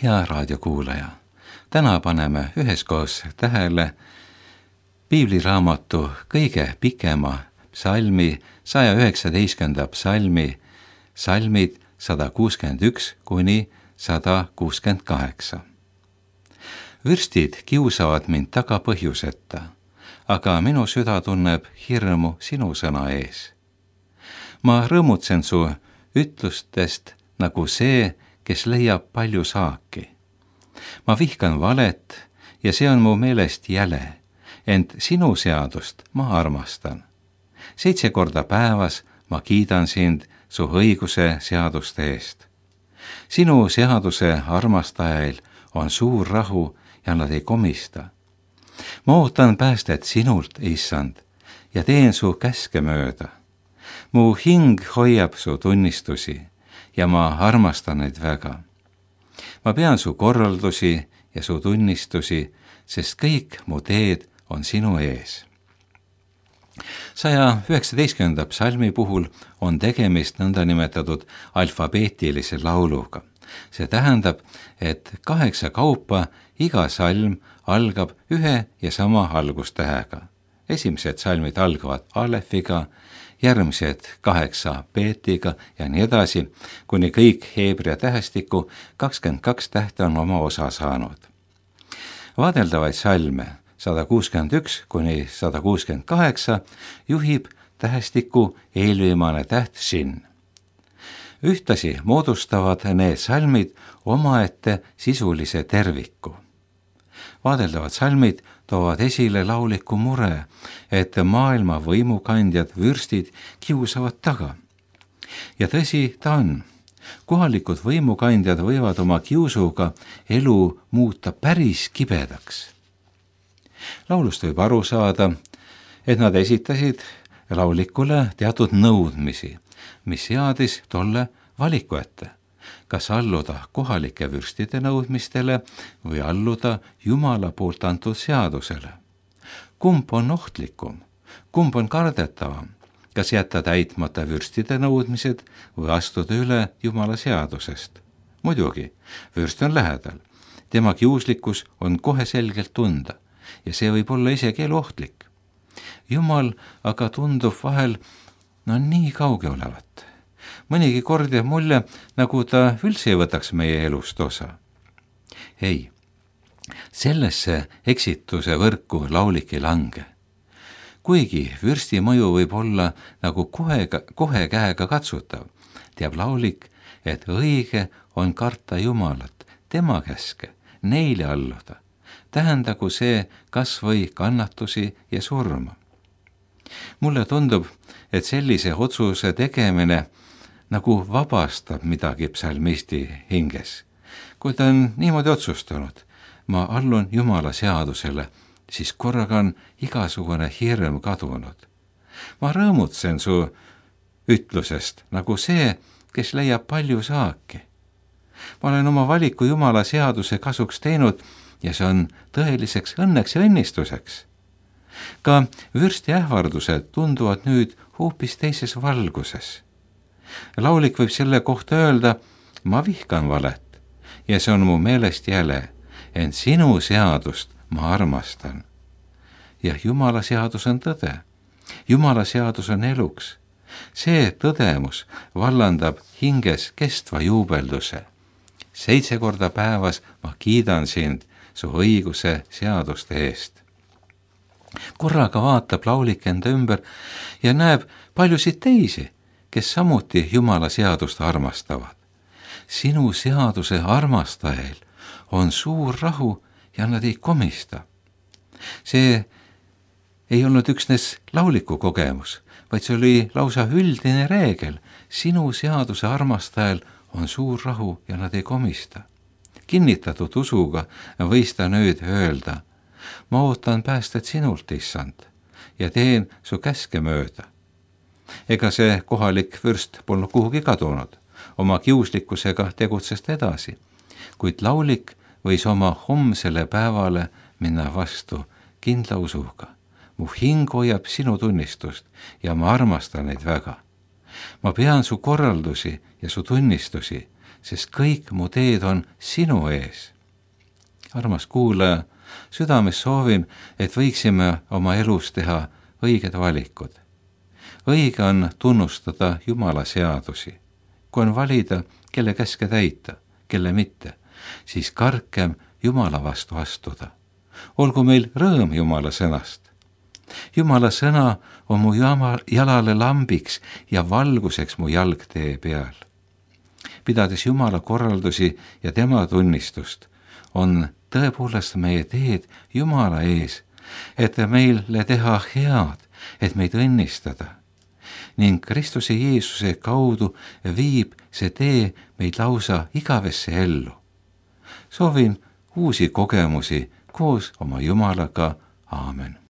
Hea raadiokuulaja, täna paneme üheskoos tähele piibliraamatu kõige pikema psalmi, 119. psalmi, salmid 161 kuni 168. Vürstid kiusavad mind taga põhjuseta, aga minu süda tunneb hirmu sinu sõna ees. Ma rõõmutsen su ütlustest nagu see, kes leiab palju saaki. Ma vihkan valet ja see on mu meelest jäle, ent sinu seadust ma armastan. 7 korda päevas ma kiidan sind su õiguse seaduste eest. Sinu seaduse armastajail on suur rahu ja nad ei komista. Ma ootan päästet sinult, issand, ja teen su käske mööda. Mu hing hoiab su tunnistusi ja ma armastan neid väga. Ma pean su korraldusi ja su tunnistusi, sest kõik mu teed on sinu ees. 119. psalmi puhul on tegemist nõndanimetatud alfabeetilise lauluga. See tähendab, et 8 kaupa iga salm algab ühe ja sama algustähega. Esimesed salmid algavad alefiga, järgmised 8 beetiga ja nii edasi, kuni kõik heebrea tähestiku 22 tähte on oma osa saanud. Vaadeldavaid salme 161 kuni 168 juhib tähestiku eelviimane täht shin. Ühtasi moodustavad need salmid omaette sisulise terviku. Vaadeldavad salmid toovad esile lauliku mure, et maailma võimukandjad vürstid kiusavad taga. Ja tõsi ta on. Kohalikud võimukandjad võivad oma kiusuga elu muuta päris kibedaks. Laulust võib aru saada, et nad esitasid laulikule teatud nõudmisi, mis seadis tolle valiku ette. Kas alluda kohalike vürstide nõudmistele või alluda Jumala poolt antud seadusele. Kumb on ohtlikum? Kumb on kardetavam? Kas jätta täitmata vürstide nõudmised või astuda üle Jumala seadusest? Muidugi, vürst on lähedal. Tema kiuslikkus on kohe selgelt tunda ja see võib olla isegi eluohtlik. Jumal aga tundub vahel nii kauge olevat. Mõnigi kord jääb mulje, nagu ta üldse ei võtaks meie elust osa. Ei, sellesse eksituse võrku laulik ei lange. Kuigi vürsti mõju võib olla nagu kohe käega katsutav, teab laulik, et õige on karta Jumalat, tema käske, neile alluda. Tähendagu see kas või kannatusi ja surma. Mulle tundub, et sellise otsuse tegemine nagu vabastab midagi psalmisti hinges. Kui ta on niimoodi otsustanud, ma allun Jumala seadusele, siis korraga on igasugune hirm kadunud. Ma rõõmutsen su ütlusest nagu see, kes leiab palju saaki. Ma olen oma valiku Jumala seaduse kasuks teinud ja see on tõeliseks õnneks ja õnnistuseks. Ka vürsti ähvardused tunduvad nüüd hoopis teises valguses. Laulik võib selle kohta öelda, ma vihkan valet ja see on mu meelest jäle, ent sinu seadust ma armastan. Ja Jumala seadus on tõde. Jumala seadus on eluks. See tõdemus vallandab hinges kestva juubelduse. 7 korda päevas ma kiidan sind su õiguse seaduste eest. Korraga vaatab laulik enda ümber ja näeb paljusid teisi, kes samuti Jumala seadust armastavad. Sinu seaduse armastajail on suur rahu ja nad ei komista. See ei olnud üksnes lauliku kogemus, vaid see oli lausa üldine reegel. Sinu seaduse armastajal on suur rahu ja nad ei komista. Kinnitatud usuga võis ta nüüd öelda, ma ootan päästet sinult, issand, ja teen su käske mööda. Ega see kohalik vürst polnud kuhugi kadunud, oma kiuslikkusega tegutses edasi, kuid laulik võis oma homsele päevale minna vastu kindla usuga. Mu hing hoiab sinu tunnistust ja ma armastan neid väga. Ma pean su korraldusi ja su tunnistusi, sest kõik mu teed on sinu ees. armas kuulaja, südames soovin, et võiksime oma elus teha õiged valikud. õige on tunnustada Jumala seadusi. kui on valida, kelle käske täita, kelle mitte, siis karkem Jumala vastu astuda. olgu meil rõõm Jumala sõnast. Jumala sõna on mu jalale lambiks ja valguseks mu jalgtee peal. pidades Jumala korraldusi ja tema tunnistust, on tõepoolest meie teed Jumala ees, et meile teha head, et meid õnnistada. ning Kristuse Jeesuse kaudu viib see tee meid lausa igavesse ellu. soovin uusi kogemusi koos oma Jumalaga. Aamen.